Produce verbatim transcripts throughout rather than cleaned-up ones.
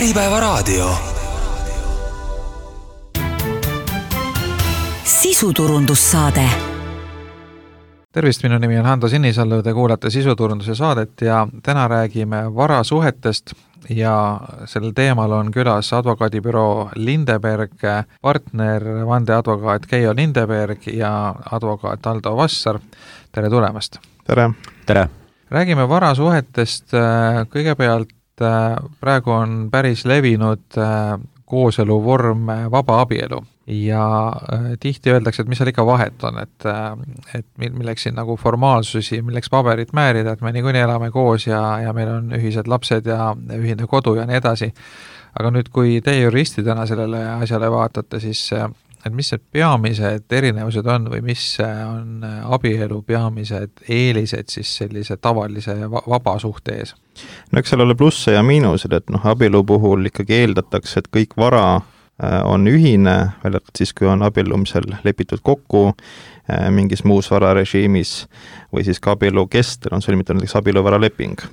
Äripäevaraadio. Sisuturundussaade. Tervist, minu nimi on Hando Sinisalu, te kuulate sisuturunduse saadet ja täna räägime varasuhetest ja sellel teemal on külas advokaadibüroo Lindeberg, partner vandeadvokaat Keijo Lindeberg ja advokaat Aldo Vassar. Tere tulemast! Tere! Tere! Räägime varasuhetest. Kõigepealt praegu on päris levinud kooselu vorm vaba abielu ja tihti öeldakse, et mis seal ikka vahet on, et, et milleks siin nagu formaalsusi, milleks paberit määrida, et me niikuinii elame koos ja, ja meil on ühised lapsed ja ühine kodu ja nii edasi. Aga nüüd, kui teie juristidena sellele asjale vaatate, siis et mis need peamised erinevused on või mis on abielu peamised eelised siis sellise tavalise vaba suhte ees? No eks seal ole plusse ja miinused, et noh, abielu puhul ikkagi eeldatakse, et kõik vara on ühine, välja siis kui on abiellumisel lepitud kokku mingis muus vararežiimis või siis ka abielu kestel on sõlmitud näiteks abieluvaraleping.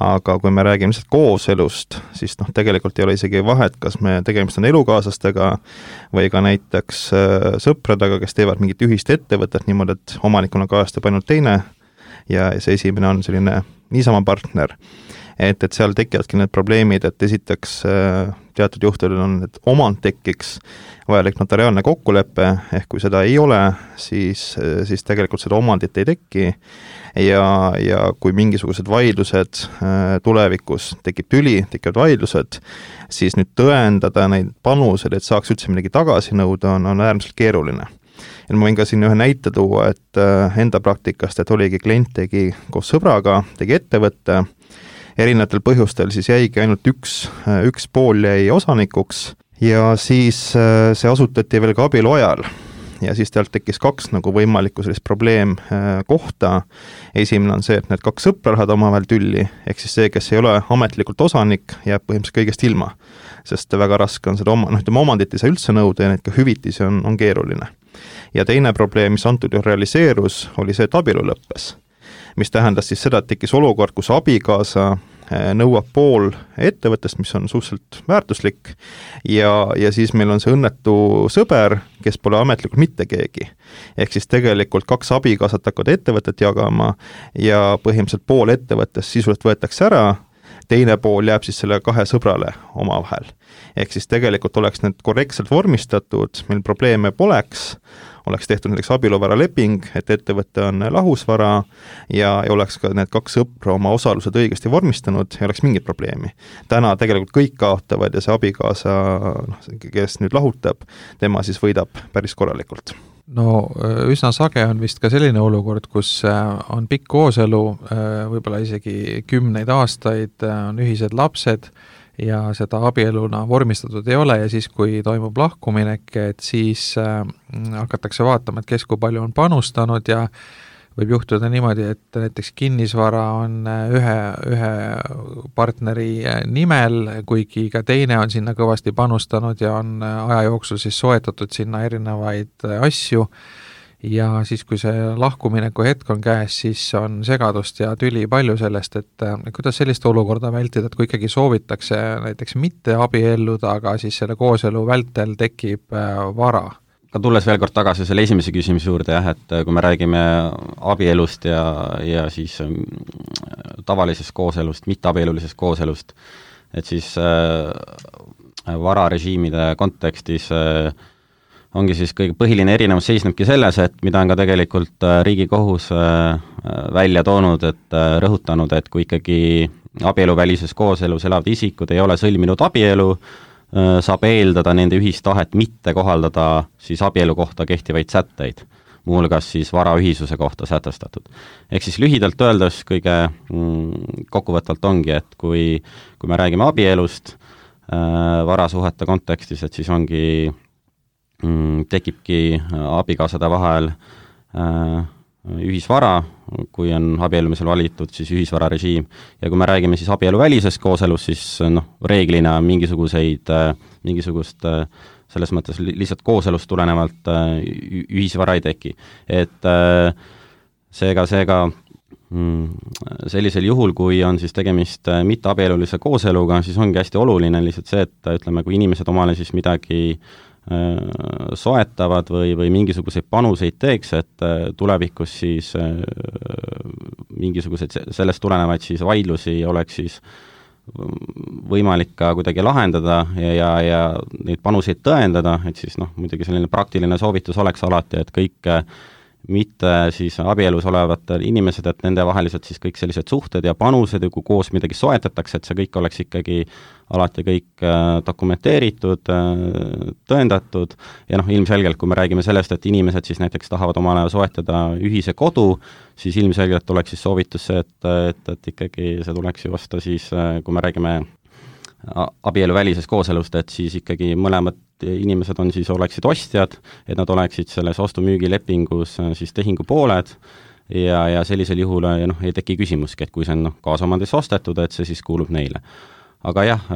Aga kui me räägime lihtsalt kooselust, siis noh, tegelikult ei ole isegi vahet, kas me tegemist on elukaaslastega või ka näiteks sõpradega, kes teevad mingit ühist ettevõtet niimoodi, et omanikuna kajastab ainult teine ja see esimene on selline niisama partner. Et, et seal tekivadki need probleemid, et esiteks teatud juhtudel on, et omand tekiks vajalik notariaalne kokkulepe, ehk kui seda ei ole, siis, siis tegelikult seda omandit ei teki ja, ja kui mingisugused vaidlused tulevikus tekib tüli, tekivad vaidlused, siis nüüd tõendada neid panused, et saaks üldse midagi tagasi nõuda, on, on äärmiselt keeruline. Ja ma võin ka siin ühe näite tuua, et enda praktikast, et oligi klient tegi koos sõbraga, tegi ettevõtte, erinevatel põhjustel siis jäigi ainult üks, üks pool jäi osanikuks ja siis see asutati veel ka abielu ajal. Ja siis tealt tekkis kaks nagu võimalikku sellist probleem kohta. Esimene on see, et need kaks sõpra lähevad omavahel tülli, ehk siis see, kes ei ole ametlikult osanik, jääb põhimõtteliselt kõigest ilma, sest väga raske on seda oma, noh, ütleme omandit ei saa üldse nõuda ja neid ka hüvitisi on, on keeruline. Ja teine probleem, mis antud juhul realiseerus, oli see, et abielu lõppes, mis tähendas siis seda, et tekkis olukord, kus abikaasa nõuab pool ettevõttest, mis on suhteliselt väärtuslik ja, ja siis meil on see õnnetu sõber, kes pole ametlikult mitte keegi. Ehk siis tegelikult kaks abikaasat hakkavad ettevõtet jagama ja põhimõtteliselt pool ettevõttest sisuliselt võetakse ära, teine pool jääb siis selle kahe sõbrale omavahel. Ehk siis tegelikult oleks need korrektselt vormistatud, meil probleeme poleks, oleks tehtud näiteks abieluvaraleping, et ettevõte on lahusvara ja, ja oleks ka need kaks sõpra oma osalused õigesti vormistanud ja oleks mingit probleemi. Täna tegelikult kõik kaotavad ja see abikaasa, kes nüüd lahutab, tema siis võidab päris korralikult. No üsna sage on vist ka selline olukord, kus on pikk kooselu, võib-olla isegi kümneid aastaid, on ühised lapsed ja seda abieluna vormistatud ei ole ja siis, kui toimub lahkuminek, et siis hakatakse vaatama, et kes kui palju on panustanud ja võib juhtuda niimoodi, et näiteks kinnisvara on ühe, ühe partneri nimel, kuigi ka teine on sinna kõvasti panustanud ja on aja jooksul siis soetatud sinna erinevaid asju ja siis, kui see lahkumineku hetk on käes, siis on segadust ja tüli palju sellest, et kuidas sellist olukorda vältida, et kui ikkagi soovitakse näiteks mitte abielluda, aga siis selle kooselu vältel tekib vara. Ka tulles veel kord tagasi selle esimese küsimuse juurde, jah, et kui me räägime abielust ja, ja siis tavalisest kooselust, mitteabielulisest kooselust, et siis äh, vararežiimide kontekstis äh, ongi siis kõige põhiline erinevus seisnebki selles, et mida on ka tegelikult Riigikohus välja toonud, et rõhutanud, et kui ikkagi abieluvälises kooselus elavad isikud ei ole sõlminud abielu, saab eeldada nende ühistahet mitte kohaldada siis abielu kohta kehtivaid sätteid, muuhulgas siis varaühisuse kohta sätestatud. Ehk siis lühidalt öeldes kõige mm, kokkuvõtvalt ongi, et kui, kui me räägime abielust äh, varasuhete kontekstis, et siis ongi tekibki abikaasade vahel äh, ühisvara, kui on abiellumisel valitud siis ühisvararežiim ja kui me räägime siis abieluvälisest kooselust, siis noh, reeglina mingisuguseid, äh, mingisugust äh, selles mõttes lihtsalt kooselust tulenevalt äh, ühisvara ei teki. Et äh, seega, seega sellisel juhul, kui on siis tegemist mitteabielulise kooseluga, siis ongi hästi oluline lihtsalt see, et ütleme, kui inimesed omale siis midagi soetavad või, või mingisuguseid panuseid teeks, et tulevikus siis mingisuguseid sellest tulenevaid siis vaidlusi oleks siis võimalik ka kuidagi lahendada ja, ja, ja neid panuseid tõendada, et siis noh, muidugi selline praktiline soovitus oleks alati, et kõik mitte siis abielus olevatel inimesed, et nende vaheliselt siis kõik sellised suhted ja panused ja kui koos midagi soetatakse, et see kõik oleks ikkagi alati kõik dokumenteeritud, tõendatud ja noh, ilmselgelt, kui me räägime sellest, et inimesed siis näiteks tahavad omale soetada ühise kodu, siis ilmselgelt oleks siis soovitus see, et, et, et ikkagi see tuleks ju vasta siis, kui me räägime abieluvälisest kooselust, et siis ikkagi mõlemad inimesed on siis, oleksid ostjad, et nad oleksid selles ostu-müügilepingus siis tehingu pooled ja, ja sellisel juhul ja noh, ei teki küsimuski, et kui see on noh, kaasomandis ostetud, et see siis kuulub neile. Aga jah,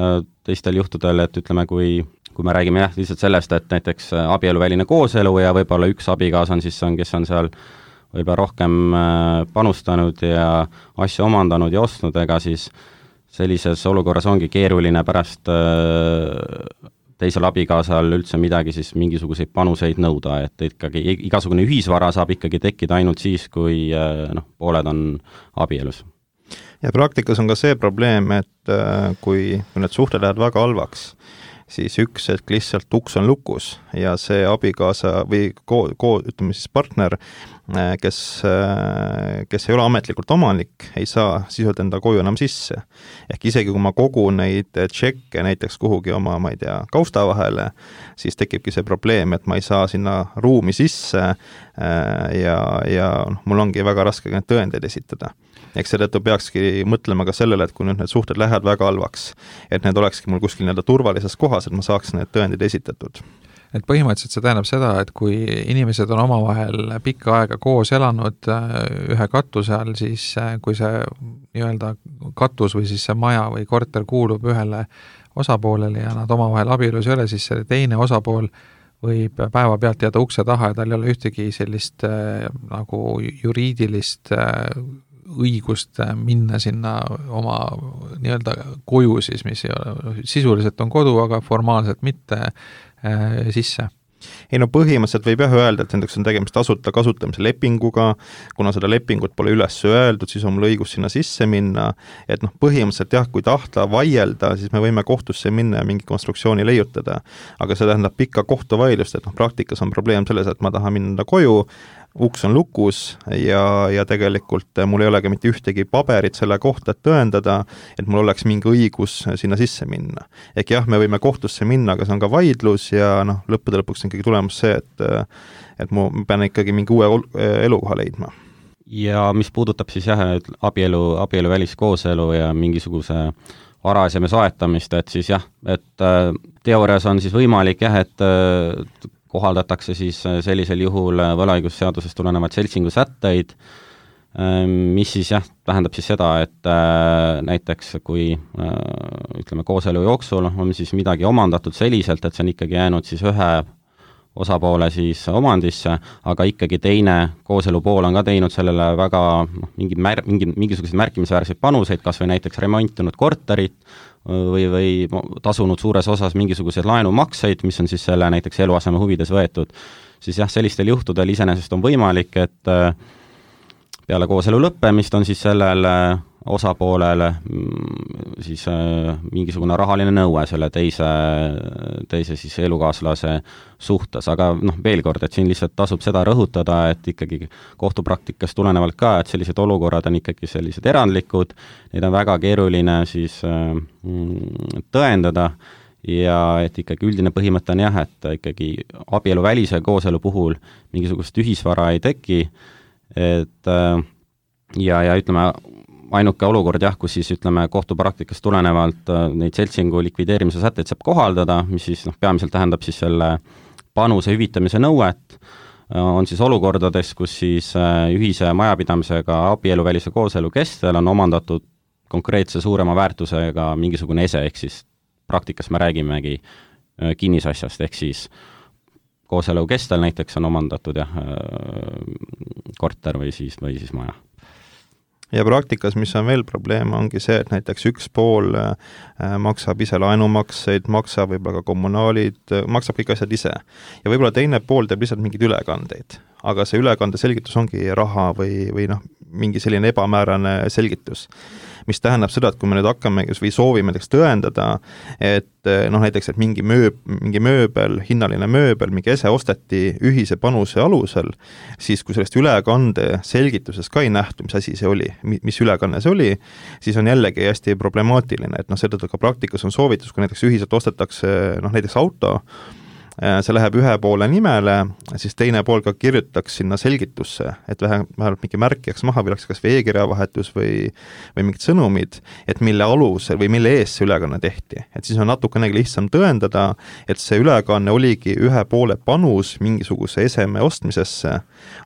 teistel juhtudel, et ütleme, kui, kui me räägime jah, lihtsalt sellest, et näiteks abieluväline kooselu ja võib-olla üks abikaasa on siis, on, kes on seal võib-olla rohkem panustanud ja asju omandanud ja ostnud, ega siis sellises olukorras ongi keeruline pärast teisel abikaasal üldse midagi siis mingisuguseid panuseid nõuda, et ikkagi igasugune ühisvara saab ikkagi tekkida ainult siis, kui noh, pooled on abielus. Ja praktikas on ka see probleem, et kui, kui need suhted lähevad väga halvaks, siis üks hetk lihtsalt uks on lukus ja see abikaasa või ko, ko, ütleme siis partner, kes, kes ei ole ametlikult omanik, ei saa sisult enda koju enam sisse. Ehk isegi kui ma kogun neid tšekke näiteks kuhugi oma, ma ei tea, kausta vahele, siis tekibki see probleem, et ma ei saa sinna ruumi sisse ja, ja mul ongi väga raske need tõendeid esitada. Eks seetõttu peakski mõtlema ka sellele, et kui nüüd need suhted lähevad väga halvaks, et need olekski mul kuskil nii-öelda turvalises kohas, et ma saaks need tõendid esitatud. Et põhimõtteliselt see tähendab seda, et kui inimesed on omavahel pikka aega koos elanud ühe katuse all, siis kui see nii-öelda katus või siis see maja või korter kuulub ühele osapoolele ja nad omavahel abielus ei ole, siis see teine osapool võib päeva pealt jääda ukse taha ja tal ei ole ühtegi sellist nagu juriidilist õigust minna sinna oma nii-öelda koju siis, mis ei ole, sisuliselt on kodu, aga formaalselt mitte äh, sisse. Ei no põhimõtteliselt võib jah öelda, et nendeks on tegemist tasuta kasutamise lepinguga, kuna seda lepingut pole üles öeldud, siis on mul õigus sinna sisse minna, et noh, põhimõtteliselt jah, kui tahta vaielda, siis me võime kohtusse minna ja mingi konstruktsiooni leiutada, aga see tähendab pikka kohtuvaidlust, et noh, praktikas on probleem selles, et ma tahan minna koju, uks on lukus ja, ja tegelikult mul ei olegi mitte ühtegi paberit selle kohta, et tõendada, et mul oleks mingi õigus sinna sisse minna. Ehk jah, me võime kohtusse minna, aga see on ka vaidlus ja noh, lõppude lõpuks on ikkagi tulemus see, et, et ma pean ikkagi mingi uue elukoha leidma. Ja mis puudutab siis jah, abielu, abielu väliskooselu ja mingisuguse varaaseme soetamist, et siis jah, et teoorias on siis võimalik jah, et kohaldatakse siis sellisel juhul võlaõigusseadusest tulenevad seltsingu sätteid, mis siis jah, tähendab siis seda, et näiteks kui ütleme kooselu jooksul on siis midagi omandatud selliselt, et see on ikkagi jäänud siis ühe osapoole siis omandisse, aga ikkagi teine kooselu pool on ka teinud sellele väga mingi mär, mingi, mingisuguseid märkimisväärseid panuseid, kas või näiteks remontinud korterit või, või tasunud suures osas mingisuguseid laenumakseid, mis on siis selle näiteks eluaseme huvides võetud, siis jah, sellistel juhtudel iseenesest on võimalik, et peale kooselu lõppemist on siis sellel osapoolele siis mingisugune rahaline nõue selle teise, teise siis elukaaslase suhtes, aga noh, veel kord, et siin lihtsalt tasub seda rõhutada, et ikkagi kohtupraktikas tulenevalt ka, et sellised olukorrad on ikkagi sellised erandlikud, neid on väga keeruline siis tõendada ja et ikkagi üldine põhimõte on jah, et ikkagi abielu välise kooselu puhul mingisugust ühisvara ei teki, et ja, ja ütleme, ainuke olukord jah, kus siis ütleme kohtupraktikast tulenevalt neid seltsingu likvideerimise sätteid saab kohaldada, mis siis noh, peamiselt tähendab siis selle panuse hüvitamise nõuet, on siis olukordades, kus siis ühise majapidamisega abieluvälise kooselu kestel on omandatud konkreetse suurema väärtusega mingisugune ese, ehk siis praktikas me räägimegi kinnisasjast, ehk siis kooselu kestel näiteks on omandatud jah, korter või siis, või siis maja. ja praktikas, mis on veel probleem, ongi see, et näiteks üks pool maksab ise laenumakseid, maksab võib-olla ka kommunaalid, maksab kõik asjad ise. Ja võib-olla teine pool teeb lihtsalt mingeid ülekandeid, aga see ülekande selgitus ongi raha või, või noh, mingi selline ebamäärane selgitus, mis tähendab seda, et kui me nüüd hakkame või soovime näiteks tõendada, et noh, näiteks, et mingi, mööb, mingi mööbel, hinnaline mööbel, mingi ese osteti ühise panuse alusel, siis kui sellest ülekande selgituses ka ei nähtu, mis asi see oli, mis ülekanne see oli, siis on jällegi hästi problemaatiline, et noh, seda ka praktikas on soovitus, kui näiteks ühiselt ostetakse noh, näiteks auto, see läheb ühe poole nimele, siis teine pool ka kirjutaks sinna selgitusse, et vähemalt mingi märk jääks maha või oleks kas veekirjavahetus või, või mingid sõnumid, et mille alusel või mille eest see ülekanne tehti. Et siis on natukenegi lihtsam tõendada, et see ülekanne oligi ühe poole panus mingisuguse eseme ostmisesse,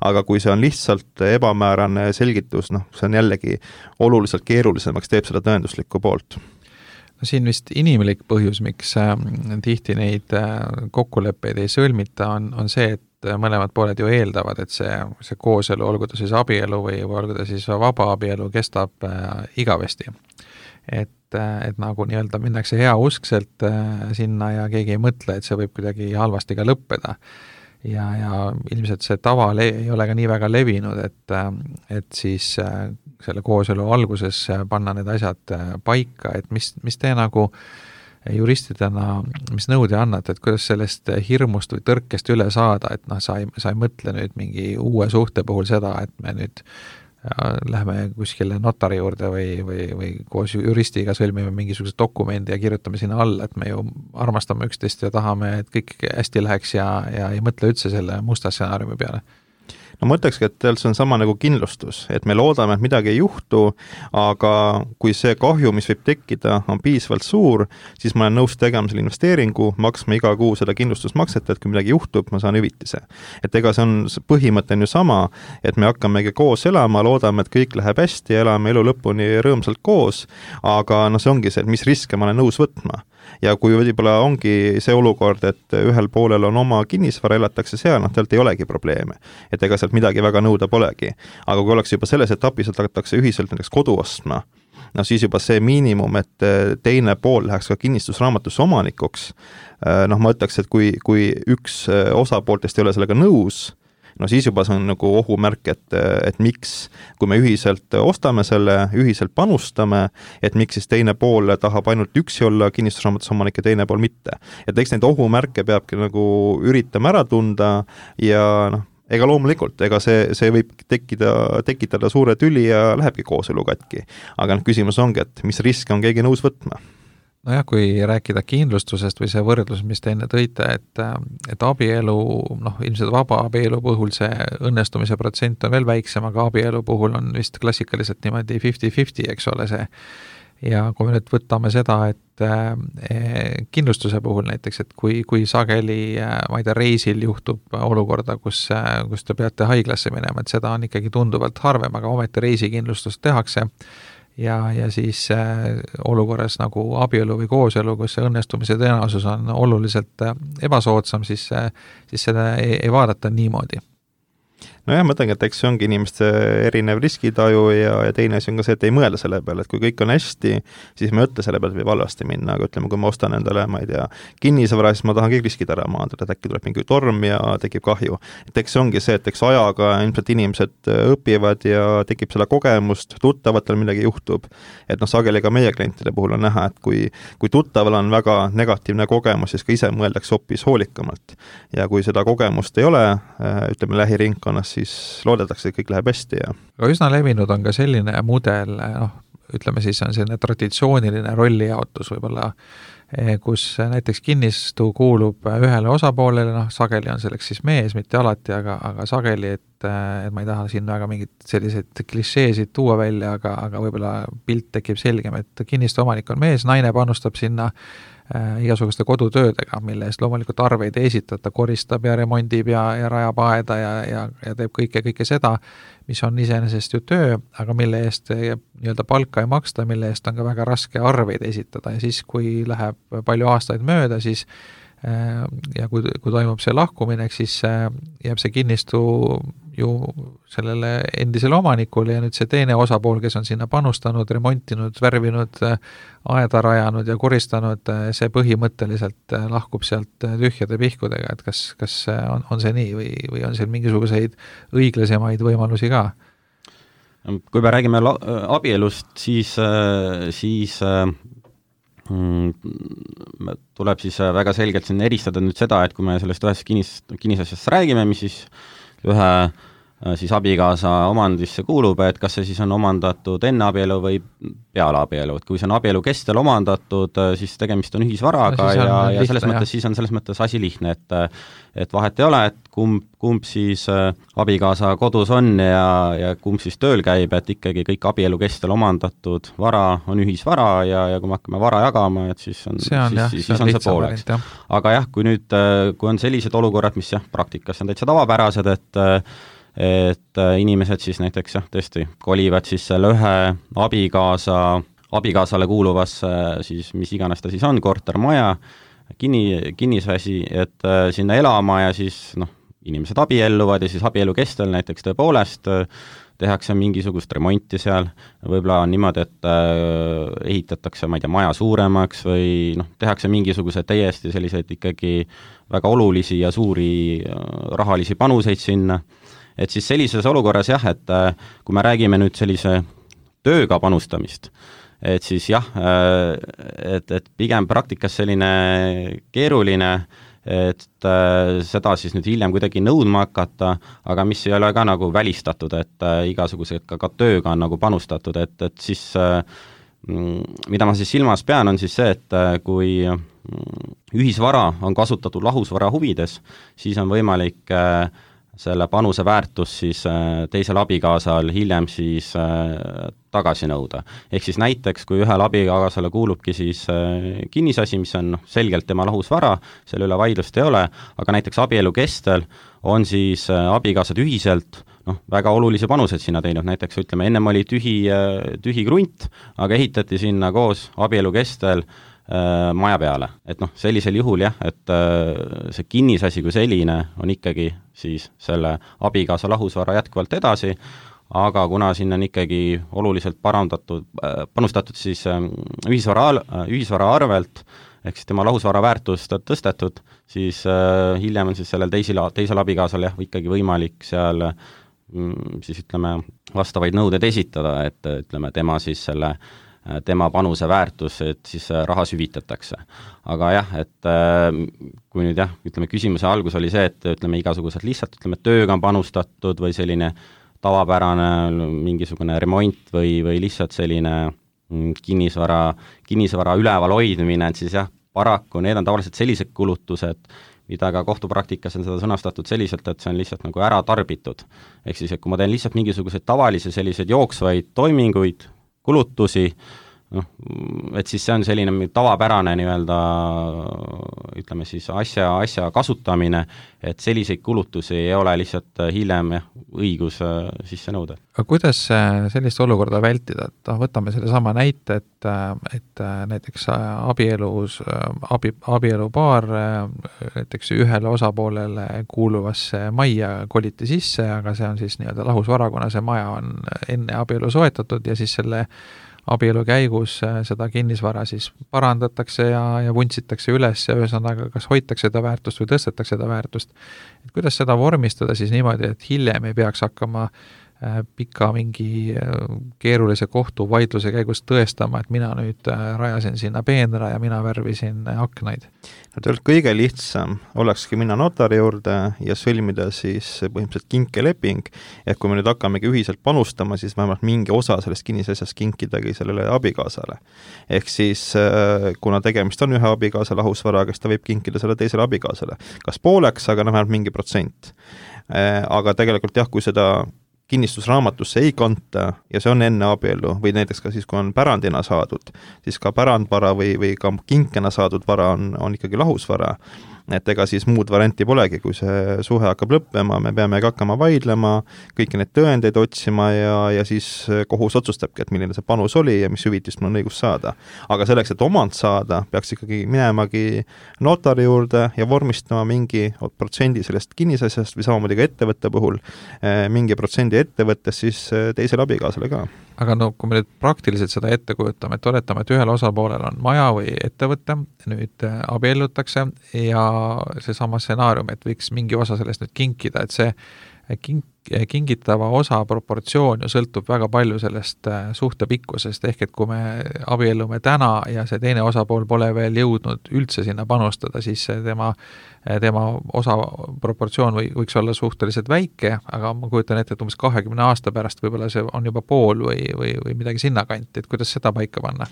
aga kui see on lihtsalt ebamäärane selgitus, noh, see on jällegi oluliselt keerulisemaks, teeb seda tõenduslikku poolt. No siin vist inimlik põhjus, miks äh, tihti neid äh, kokkuleppeid ei sõlmita, on, on see, et mõlemad pooled ju eeldavad, et see, see kooselu, olgu ta siis abielu või, või olgu ta siis vaba abielu, kestab äh, igavesti. Et, äh, et nagu nii-öelda minnakse heauskselt äh, sinna ja keegi ei mõtle, et see võib kuidagi halvasti ka lõppeda. Ja, ja ilmselt see tava le- ei ole ka nii väga levinud, et, et siis selle kooselu alguses panna need asjad paika, et mis, mis te nagu juristidena, mis nõude annate, et kuidas sellest hirmust või tõrkest üle saada, et noh, sa ei, sa ei mõtle nüüd mingi uue suhte puhul seda, et me nüüd lähme kuskile notari juurde või, või, või koos juristiga sõlmime mingisuguse dokumendi ja kirjutame sinna alla, et me ju armastame üksteist ja tahame, et kõik hästi läheks ja, ja ei mõtle üldse selle musta stsenaariumi peale. No ma ütlekski, et see on sama nagu kindlustus, et me loodame, et midagi ei juhtu, aga kui see kahju, mis võib tekkida, on piisavalt suur, siis ma olen nõus tegema selle investeeringu, maksma iga kuu seda kindlustusmakset, et kui midagi juhtub, ma saan hüvitise. Et ega see on, põhimõte on ju sama, et me hakkamegi koos elama, loodame, et kõik läheb hästi ja elame elu lõpuni rõõmsalt koos, aga no see ongi see, et mis riske ma olen nõus võtma. Ja kui võib-olla ongi see olukord, et ühel poolel on oma kinnisvara, elatakse seal, noh, teilt ei olegi probleeme. Et ega sealt midagi väga nõuda polegi. Aga kui oleks juba selles etapis, et hakatakse ühiselt näiteks kodu ostma, no siis juba see miinimum, et teine pool läheks ka kinnistusraamatusse omanikuks, noh, ma ütleks, et kui, kui üks osapooltest ei ole sellega nõus, no siis juba see on nagu ohumärk, et, et miks, kui me ühiselt ostame selle, ühiselt panustame, et miks siis teine pool tahab ainult üksi olla kinnistusraamatus omanik ja teine pool mitte. Et eks neid ohumärke peabki nagu üritama ära tunda ja noh, ega loomulikult, ega see, see võib tekkida, tekitada suure tüli ja lähebki kooselu katki. Aga noh, küsimus ongi, et mis riske on keegi nõus võtma? Nojah, kui rääkida kindlustusest või see võrdlus, mis te enne tõite, et, et abielu, noh, ilmselt vaba abielu puhul see õnnestumise protsent on veel väiksem, aga abielu puhul on vist klassikaliselt niimoodi fifty fifty, eks ole see. Ja kui me nüüd võtame seda, et eh, kindlustuse puhul näiteks, et kui, kui sageli, ma ei tea, reisil juhtub olukorda, kus, kus te peate haiglasse minema, et seda on ikkagi tunduvalt harvem, aga ometi reisikindlustust tehakse. Ja, ja siis äh, olukorras nagu abielu või kooselu, kus see õnnestumise tõenäosus on oluliselt äh, ebasoodsam, siis, äh, siis seda ei, ei vaadata niimoodi. No jah, ma mõtlengi, et eks see ongi inimeste erinev riskitaju ja, ja teine asi on ka see, et ei mõelda selle peale, et kui kõik on hästi, siis me ütle selle peale, et võib halvasti minna, aga ütleme, kui ma ostan endale, ma ei tea, kinnisvara, siis ma tahan kõik riskid ära maandada, et äkki tuleb mingi torm ja tekib kahju. Et eks see ongi see, et eks ajaga ilmselt inimesed õpivad ja tekib selle kogemust, tuttavatel midagi juhtub. Et noh, sageli ka meie klientide puhul on näha, et kui, kui tuttaval on väga negatiivne kogemus, siis ka ise mõeldakse hoopis hoolikamalt. Ja kui seda kogemust ei ole, ütleme lähiringkonnas, siis loodetakse, et kõik läheb hästi. Ja. Aga üsna levinud on ka selline mudel, noh, ütleme siis on selline traditsiooniline rollijaotus võib-olla, kus näiteks kinnistu kuulub ühele osapoolele, noh, sageli on selleks siis mees, mitte alati, aga, aga sageli, et, et ma ei taha siin väga mingid selliseid klišeesid tuua välja, aga, aga võib-olla pilt tekib selgem, et kinnistu omanik on mees, naine panustab sinna äh, igasuguste kodutöödega, mille eest loomulikult arveid ei esitata, koristab ja remondib ja, ja rajab aeda ja, ja, ja teeb kõike, kõike seda, mis on iseenesest ju töö, aga mille eest nii-öelda palka ei maksta, mille eest on ka väga raske arveid esitada ja siis, kui läheb palju aastaid mööda, siis ja kui, kui toimub see lahkuminek, siis jääb see kinnistu ju sellele endisele omanikule ja nüüd see teine osapool, kes on sinna panustanud, remontinud, värvinud, aeda rajanud ja koristanud, see põhimõtteliselt lahkub sealt tühjade pihkudega, et kas, kas on, on see nii või, või on seal mingisuguseid õiglasemaid võimalusi ka? Kui me räägime la- abielust, siis, siis mm, tuleb siis väga selgelt siin eristada nüüd seda, et kui me sellest ühest kinnis, kinnisasjast räägime, mis siis ühe siis abikaasa omandisse kuulub, et kas see siis on omandatud enne abielu või peale abielu, et kui see on abielu kestel omandatud, siis tegemist on ühisvaraga no, ja, ja selles jah. mõttes siis on selles mõttes asi lihtne, et et vahet ei ole, et kumb, kumb siis abikaasa kodus on ja, ja kumb siis tööl käib, et ikkagi kõik abielu kestel omandatud vara on ühisvara ja, ja kui me hakkame vara jagama, et siis on see on, siis, jah, siis, siis on see pooleks. Aga jah, kui nüüd, kui on sellised olukorrad, mis jah, praktikas on täitsa tavapärased, et et inimesed siis näiteks jah, tõesti kolivad siis selle ühe abikaasa, abikaasale kuuluvasse siis mis iganes ta siis on, kortermaja, kinni, kinnisvasi, et sinna elama ja siis noh, inimesed abielluvad ja siis abielu kestel näiteks tõepoolest tehakse mingisugust remonti seal, võib-olla on niimoodi, et ehitatakse, ma ei tea, maja suuremaks või noh, tehakse mingisugused täiesti selliseid ikkagi väga olulisi ja suuri rahalisi panuseid sinna. Et siis sellises olukorras jah, et kui me räägime nüüd sellise tööga panustamist, et siis jah, et, et pigem praktikas selline keeruline, et seda siis nüüd hiljem kuidagi nõudma hakata, aga mis ei ole ka nagu välistatud, et igasugused ka, ka tööga on nagu panustatud, et, et siis mida ma siis silmas pean, on siis see, et kui ühisvara on kasutatud lahusvara huvides, siis on võimalik selle panuse väärtus siis teisel abikaasal hiljem siis tagasi nõuda. Ehk siis näiteks, kui ühel abikaasale kuulubki siis kinnisasi, mis on selgelt tema lahusvara, selle üle vaidlust ei ole, aga näiteks abielu kestel on siis abikaasad ühiselt noh, väga olulisi panuseid sinna teinud, näiteks ütleme, ennem oli tühi, tühi krunt, aga ehitati sinna koos abielu kestel maja peale. Et noh, sellisel juhul jah, et see kinnisasi kui selline on ikkagi siis selle abikaasa lahusvara jätkuvalt edasi, aga kuna sinna on ikkagi oluliselt parandatud, panustatud siis ühisvara, ühisvara arvelt, ehk siis tema lahusvara väärtust tõstetud, siis hiljem on siis sellel teisel, teisel abikaasal jah, ikkagi võimalik seal siis ütleme vastavaid nõudeid esitada, et ütleme tema siis selle tema panuse väärtus, et siis rahas hüvitatakse. Aga jah, et kui nüüd jah, ütleme küsimuse algus oli see, et ütleme igasugused lihtsalt ütleme tööga on panustatud või selline tavapärane mingisugune remont või, või lihtsalt selline kinnisvara, kinnisvara üleval hoidmine, et siis jah, paraku need on tavaliselt sellised kulutused, mida ka kohtupraktikas on seda sõnastatud selliselt, et see on lihtsalt nagu ära tarbitud. Ehk siis, et kui ma teen lihtsalt mingisuguseid tavalisi selliseid jooksvaid toiminguid, kulutusi, noh, et siis see on selline tavapärane nii-öelda ütleme siis asja, asja kasutamine, et selliseid kulutusi ei ole lihtsalt hiljem jah, õigus sisse nõuda. Aga kuidas sellist olukorda vältida, et võtame selle sama näite, et, et näiteks abielus, abi, abielupaar näiteks ühele osapoolele kuuluvasse majja koliti sisse, aga see on siis nii-öelda lahusvara, kuna see maja on enne abielu soetatud ja siis selle abielu käigus seda kinnisvara siis parandatakse ja, ja vuntsitakse üles ja ühesõnaga kas hoitakse seda väärtust või tõstetakse seda väärtust. Et kuidas seda vormistada siis niimoodi, et hiljem ei peaks hakkama pika mingi keerulise kohtuvaidluse käigus tõestama, et mina nüüd rajasin sinna peenra ja mina värvisin aknaid. No tegelikult kõige lihtsam olekski minna notari juurde ja sõlmida siis põhimõtteliselt kinkeleping, et kui me nüüd hakkamegi ühiselt panustama, siis vähemalt mingi osa sellest kinnisasjast kinkidagi sellele abikaasale. Ehk siis kuna tegemist on ühe abikaasa lahusvaraga, siis ta võib kinkida selle teisele abikaasale. Kas pooleks, aga vähemalt mingi protsent. Aga tegelikult jah, kui seda kinnistusraamatusse ei kanta ja see on enne abielu või näiteks ka siis, kui on pärandina saadud, siis ka pärandvara või, või ka kinkena saadud vara on, on ikkagi lahusvara. et ega siis muud varianti polegi, kui see suhe hakkab lõppema, me peame hakkama vaidlema, kõiki neid tõendeid otsima ja, ja siis kohus otsustabki, et milline see panus oli ja mis hüvitist mul on õigus saada. Aga selleks, et omand saada, peaks ikkagi minemagi notari juurde ja vormistama mingi protsendi sellest kinnisasjast või samamoodi ka ettevõtte puhul, mingi protsendi ettevõttes siis teisele abikaasale ka. Aga no kui me nüüd praktiliselt seda ette kujutame, et oletame, et ühel osapoolel on maja või ettevõte, nüüd abiellutakse ja seesama stsenaarium, et võiks mingi osa sellest nüüd kinkida, et see king, kingitava osa proportsioon ju sõltub väga palju sellest suhte pikkusest, ehk et kui me abiellume täna ja see teine osapool pole veel jõudnud üldse sinna panustada, siis tema tema osa proportsioon või, võiks olla suhteliselt väike, aga ma kujutan ette, et umbes kahekümne aasta pärast võib-olla see on juba pool või, või, või midagi sinna kanti, et kuidas seda paika panna?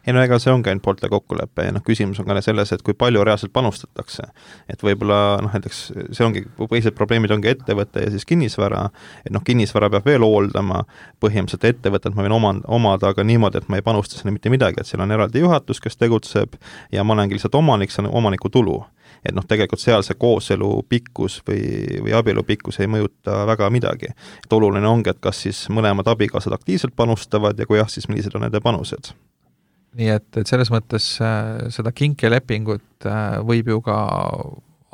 Ei no ega see ongi ainult poolte kokkulepe ja noh, küsimus on ka selles, et kui palju reaalselt panustatakse. Et võib-olla noh, näiteks see ongi, põhilised probleemid ongi ettevõte ja siis kinnisvara, et noh, kinnisvara peab veel hooldama, põhimõtteliselt ettevõtet ma võin omand, omada, aga niimoodi, et ma ei panusta sinna mitte midagi, et seal on eraldi juhatus, kes tegutseb ja ma olengi lihtsalt omanik, see on omaniku tulu. Et noh, tegelikult seal see kooselu pikkus või, või abielu pikkus ei mõjuta väga midagi. Et oluline ongi, et kas siis mõlemad abikaasad aktiivselt panustavad ja kui jah, siis millised on nende panused. Nii et, et selles mõttes äh, seda kinkelepingut äh, võib ju ka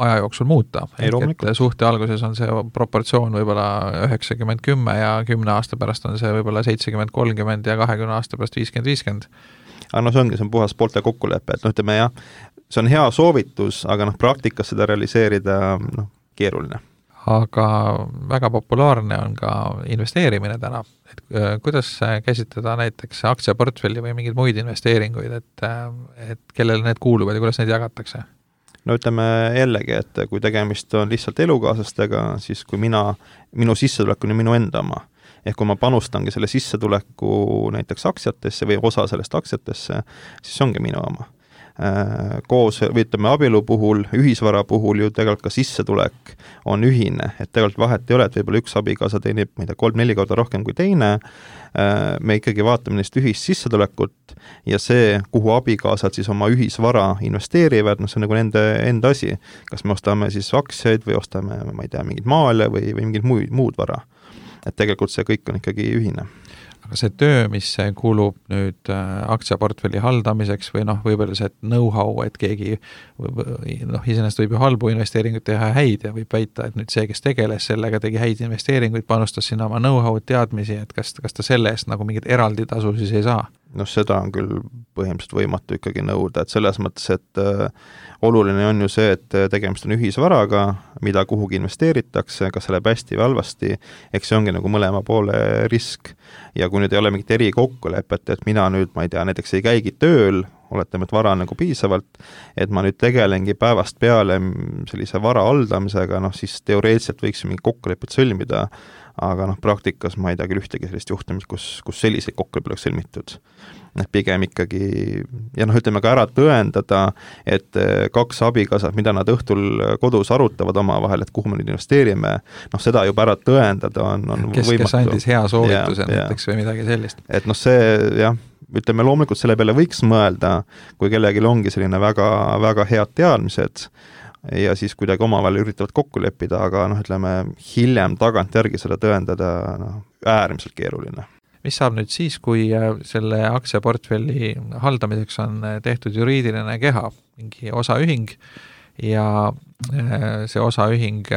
aja jooksul muuta. Ehk et suhte alguses on see proportsioon võib-olla üheksakümmend kümme ja kümne aasta pärast on see võib-olla seitsekümmend kolmkümmend ja kahekümne aasta pärast viiskümmend viiskümmend. Aga no see ongi, see on puhas poolte kokkulepe, et noh, ütleme jah, see on hea soovitus, aga noh, praktikas seda realiseerida noh, keeruline. Aga väga populaarne on ka investeerimine täna. Et kuidas käsitleda näiteks aktsiaportfelli või mingeid muid investeeringuid, et, et kellele need kuuluvad ja kuidas neid jagatakse? No ütleme jällegi, et kui tegemist on lihtsalt elukaaslastega, siis kui mina, minu sissetulek on minu enda oma, ehk kui ma panustangi selle sissetuleku näiteks aktsiatesse või osa sellest aktsiatesse, siis ongi minu oma. Koos, või ütleme abielu puhul, ühisvara puhul ju tegelikult ka sissetulek on ühine, et tegelikult vahet ei ole, et võib-olla üks abikaasa teenib, ma ei tea, kolm-neli korda rohkem kui teine, me ikkagi vaatame neist ühist sissetulekut ja see, kuhu abikaasad siis oma ühisvara investeerivad, no see on nagu nende enda asi, kas me ostame siis aktsiaid või ostame, ma ei tea, mingid maale või, või mingid muud, muud vara. Et tegelikult see kõik on ikkagi ühine. Aga see töö, mis kuulub nüüd aktsiaportfelli haldamiseks või noh, võib-olla see know-how, et keegi noh, iseenesest võib ju halbu investeeringuid teha häid ja võib väita, et nüüd see, kes tegeles sellega, tegi häid investeeringuid, panustas sinna oma know-how teadmisi, et kas, kas ta selle eest nagu mingit eraldi tasu siis ei saa? noh, seda on küll põhimõtteliselt võimatu ikkagi nõuda, et selles mõttes, et äh, oluline on ju see, et tegemist on ühisvaraga, mida kuhugi investeeritakse, kas see läheb hästi või halvasti, eks see ongi nagu mõlema poole risk. Ja kui nüüd ei ole mingit eri kokkulepet, et mina nüüd, ma ei tea, näiteks ei käigi tööl, oletame, et vara on nagu piisavalt, et ma nüüd tegelengi päevast peale sellise vara haldamisega, noh siis teoreetiliselt võiks mingi kokkulepet sõlmida, aga noh, praktikas ma ei tea küll ühtegi sellist juhtumist, kus, kus selliseid kokkulepet oleks sõlmitud. Et pigem ikkagi, ja noh, ütleme ka ära tõendada, et kaks abikaasat, mida nad õhtul kodus arutavad oma vahel, et kuhu me nüüd investeerime, noh seda juba ära tõendada on, on kes, võimatu. Kes andis hea soovituse ja, näiteks ja. Või midagi sellist. Et noh, see jah, ütleme loomulikult selle peale võiks mõelda, kui kellelgi ongi selline väga, väga head teadmised ja siis kuidagi omavahel üritavad kokku leppida, aga noh, ütleme hiljem tagantjärgi seda tõendada noh, äärmiselt keeruline. Mis saab nüüd siis, kui selle aktsiaportfelli haldamiseks on tehtud juriidiline keha, mingi osaühing ja see osaühing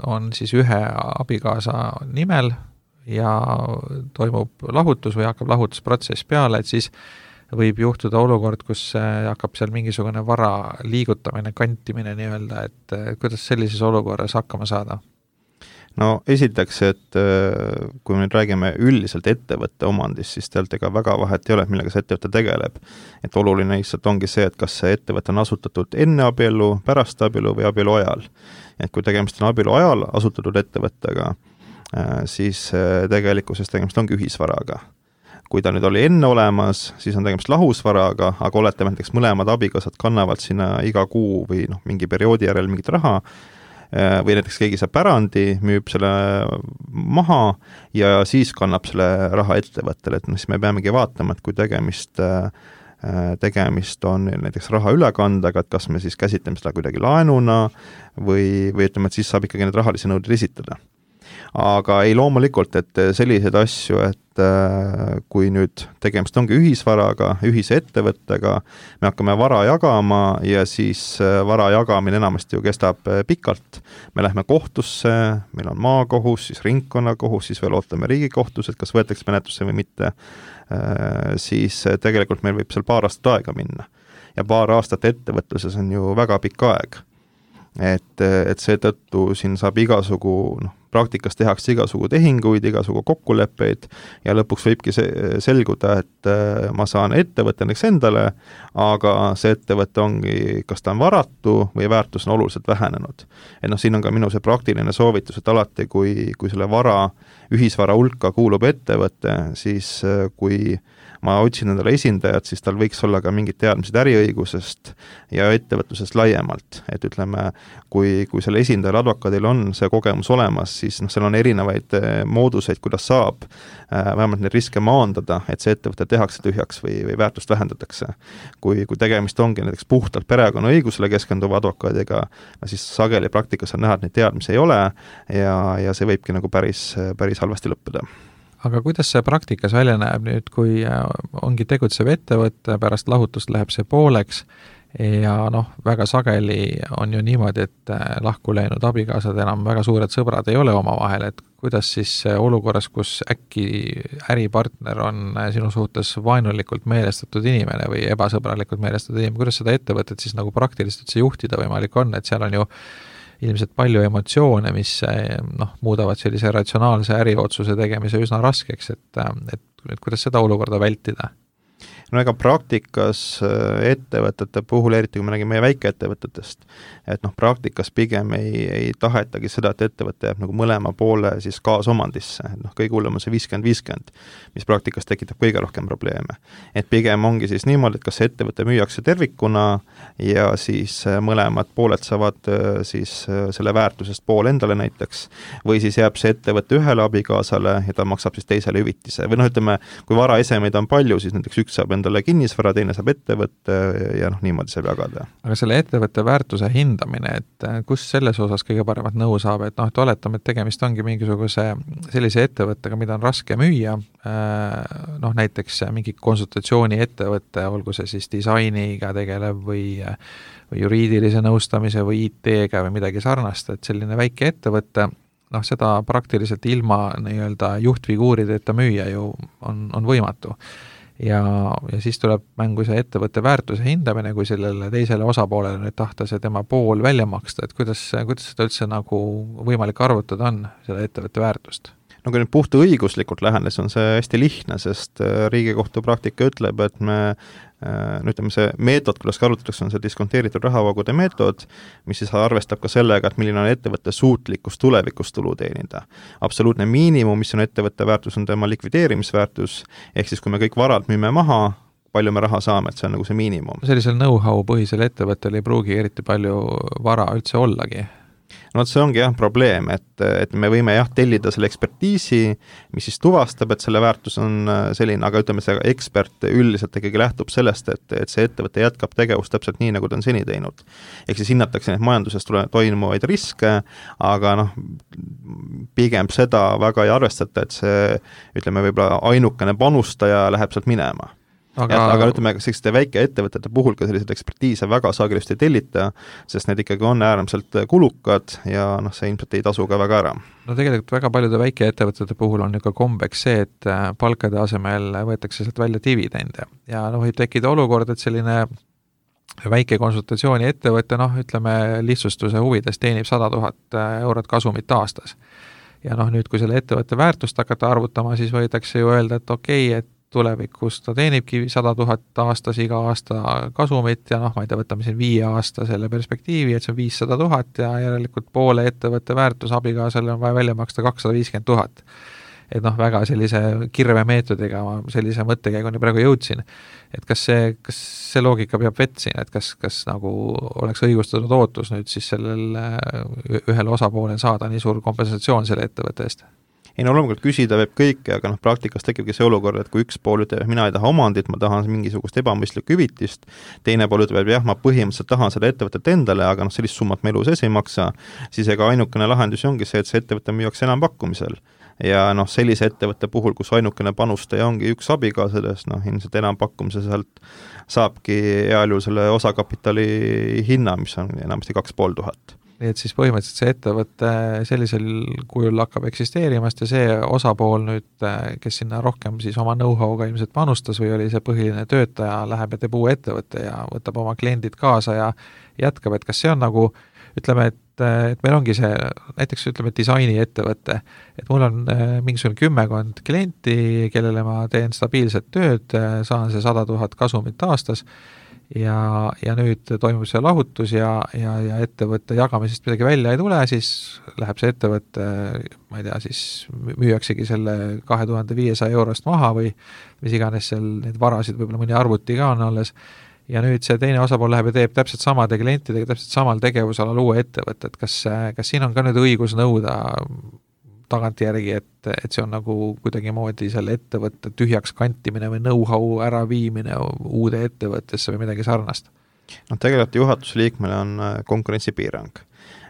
on siis ühe abikaasa nimel ja toimub lahutus või hakkab lahutusprotsess peale, et siis võib juhtuda olukord, kus hakkab seal mingisugune vara liigutamine, kantimine nii-öelda, et kuidas sellises olukorras hakkama saada? No esiteks, et kui me nüüd räägime üldiselt ettevõtte omandist, siis tegelikult ega väga vahet ei ole, millega see ettevõte tegeleb. Et oluline lihtsalt ongi see, et kas see ettevõte on asutatud enne abielu, pärast abielu või abielu ajal. Et kui tegemist on abielu ajal asutatud ettevõttega, siis tegelikkuses tegemist ongi ühisvaraga. Kui ta nüüd oli enne olemas, siis on tegemist lahusvaraga, aga oletame näiteks mõlemad abikaasad kannavad sinna iga kuu või noh, mingi perioodi järel mingit raha, või näiteks keegi saab pärandi, müüb selle maha ja siis kannab selle raha ettevõttele, et no siis me peamegi vaatama, et kui tegemist tegemist on näiteks raha ülekandega, et kas me siis käsitleme seda kuidagi laenuna või, või ütleme, et siis saab ikkagi need rahalisi nõudeid esitada. Aga ei loomulikult, et selliseid asju, et kui nüüd tegemist ongi ühisvaraga, ühise ettevõttega, me hakkame vara jagama ja siis vara jagamine enamasti ju kestab pikalt. Me lähme kohtusse, meil on maakohus, siis ringkonnakohus, siis veel ootame riigikohtus, et kas võetakse menetlusse või mitte, siis tegelikult meil võib seal paar aastat aega minna. Ja paar aastat ettevõtluses on ju väga pikk aeg. Et, et seetõttu siin saab igasugu, noh, praktikas tehakse igasugu tehinguid, igasugu kokkuleppeid ja lõpuks võibki see selguda, et ma saan ettevõtte näiteks endale, aga see ettevõte ongi, kas ta on varatu või väärtus on oluliselt vähenenud. Et noh, siin on ka minu see praktiline soovitus, et alati, kui, kui selle vara, ühisvara hulka kuulub ettevõte, siis kui ma otsin endale esindajat, siis tal võiks olla ka mingid teadmised äriõigusest ja ettevõtlusest laiemalt. Et ütleme, kui, kui selle esindajal advokaadil on see kogemus olemas, siis noh, seal on erinevaid mooduseid, kuidas saab vähemalt neid riske maandada, et see ettevõte tehakse tühjaks või, või väärtust vähendatakse. Kui, kui tegemist ongi näiteks puhtalt perekonna õigusele keskenduva advokaadiga, siis sageli praktikas on näha, et neid teadmisi ei ole ja, ja see võibki nagu päris, päris halvasti lõppeda. Aga kuidas see praktikas välja näeb nüüd, kui ongi tegutsev ettevõte, pärast lahutust läheb see pooleks ja noh, väga sageli on ju niimoodi, et lahku läinud abikaasad enam väga suured sõbrad ei ole omavahel, et kuidas siis olukorras, kus äkki äripartner on sinu suhtes vaenulikult meelestatud inimene või ebasõbralikult meelestatud inimene, kuidas seda ettevõtet siis nagu praktiliselt üldse juhtida võimalik on, et seal on ju ilmselt palju emotsioone, mis noh, muudavad sellise ratsionaalse äriotsuse tegemise üsna raskeks, et, et kuidas seda olukorda vältida? No ega praktikas ettevõtete puhul, eriti kui me räägime meie väikeettevõtetest, et noh, praktikas pigem ei, ei tahetagi seda, et ettevõte jääb nagu mõlema poole siis kaasomandisse, et noh, kõige hullem on see viiskümmend viiskümmend, mis praktikas tekitab kõige rohkem probleeme. Et pigem ongi siis niimoodi, et kas see ettevõte müüakse tervikuna ja siis mõlemad pooled saavad siis selle väärtusest pool endale näiteks, või siis jääb see ettevõte ühele abikaasale ja ta maksab siis teisele hüvitise. Või noh, ütleme, kui varaesemeid on palju, siis näiteks üks saab endale kinnisvara, teine saab ettevõtte ja noh, niimoodi saab jagada. Aga selle ettevõtte väärtuse hindamine, et kus selles osas kõige paremat nõu saab, et noh, et oletame, et tegemist ongi mingisuguse sellise ettevõttega, mida on raske müüa, noh näiteks mingi konsultatsiooni ettevõtte, olgu see siis disainiga tegelev või, või juriidilise nõustamise või I T-ga või midagi sarnast, et selline väike ettevõtte, noh seda praktiliselt ilma nii-öelda juhtfiguurideta müüa ju on, on võimatu. Ja, ja siis tuleb mängu see ettevõtte väärtuse hindamine, kui sellele teisele osapoolele nüüd tahta see tema pool välja maksta, et kuidas, kuidas seda üldse nagu võimalik arvutada on, selle ettevõtte väärtust? No kui nüüd puhta õiguslikult lähenes, on see hästi lihtne, sest Riigikohtu praktika ütleb, et me no ütleme, see meetod, kuidas arvutatakse, on see diskonteeritud rahavoogude meetod, mis siis arvestab ka sellega, et milline on ettevõtte suutlikkus tulevikus tulu teenida. Absoluutne miinimum, mis on ettevõtte väärtus, on tema likvideerimisväärtus, ehk siis kui me kõik varad müüme maha, palju me raha saame, et see on nagu see miinimum. Sellisel know-how põhisel ettevõttel ei pruugi eriti palju vara üldse ollagi. No see ongi jah probleem, et, et me võime jah tellida selle ekspertiisi, mis siis tuvastab, et selle väärtus on selline, aga ütleme, see ekspert üldiselt ikkagi lähtub sellest, et, et see ettevõte jätkab tegevust täpselt nii, nagu ta on seni teinud. Ehk siis hinnatakse neid majanduses toimuvaid riske, aga noh, pigem seda väga ei arvestata, et see, ütleme, võib-olla ainukene panustaja läheb sealt minema. Aga, ja, aga ütleme, selliste väike ettevõtete puhul ka sellised ekspertiise väga sagedasti ei tellita, sest need ikkagi on äärmiselt kulukad ja noh, see ilmselt ei tasu ka väga ära. No tegelikult väga paljude väikeettevõtete puhul on ju ka kombeks see, et palkade asemel võetakse sealt välja dividende ja noh, võib tekkida olukord, et selline väike konsultatsiooni ettevõte, noh, ütleme lihtsustuse huvides teenib sada tuhat eurot kasumit aastas. Ja noh, nüüd kui selle ettevõtte väärtust hakata arvutama, siis võidakse ju öelda, et okei, et tulevikus ta teenibki sada tuhat aastas iga aasta kasumit ja noh, ma ei tea, võtame siin viie aasta selle perspektiivi, et see on viissada tuhat ja järelikult poole ettevõtte väärtus abikaasale on vaja välja maksta kakssada viiskümmend tuhat. Et noh, väga sellise kirve meetodiga ma sellise mõttekäiguni praegu jõudsin. Et kas see, kas see loogika peab vett siin, et kas, kas nagu oleks õigustatud ootus nüüd siis sellel ühel osapoolel saada nii suur kompensatsioon selle ettevõtte eest? ei no loomulikult küsida võib kõike, aga noh, praktikas tekibki see olukord, et kui üks pool ütleb, mina ei taha omandit, ma tahan mingisugust ebamõistlikku hüvitist, teine pool ütleb, et jah, ma põhimõtteliselt tahan seda ettevõtet endale, aga noh, sellist summat ma elu sees ei maksa, siis ega ainukene lahendus ongi see, et see ettevõte müüakse enampakkumisel. Ja noh, sellise ettevõtte puhul, kus ainukene panustaja ongi üks abikaasadest, noh, ilmselt enampakkumise sealt saabki heal juhul selle osakapitali hinna, mis on enamasti kaks pool tuhat. Nii et siis põhimõtteliselt see ettevõte sellisel kujul hakkab eksisteerimast ja see osapool nüüd, kes sinna rohkem siis oma know-how'ga ilmselt panustas või oli see põhiline töötaja, läheb ja teeb uue ettevõtte ja võtab oma kliendid kaasa ja jätkab, et kas see on nagu, ütleme, et, et meil ongi see, näiteks ütleme, disaini ettevõte, et mul on mingisugune kümmekond klienti, kellele ma teen stabiilset tööd, saan see sada tuhat kasumit aastas, ja, ja nüüd toimub see lahutus ja, ja, ja ettevõtte jagamisest midagi välja ei tule, siis läheb see ettevõtte, ma ei tea, siis müüaksegi selle kahe tuhande viiesaja eurost maha või mis iganes seal neid varasid, võib-olla mõni arvuti ka on alles, ja nüüd see teine osapool läheb ja teeb täpselt samade klientidega, täpselt samal tegevusalal uue ettevõtte, et kas, kas siin on ka nüüd õigus nõuda tagantjärgi, et, et see on nagu kuidagi moodi selle ettevõtte tühjaks kantimine või know-how äraviimine uude ettevõttesse või midagi sarnast? No tegelikult juhatusliikmele on konkurentsipiirang,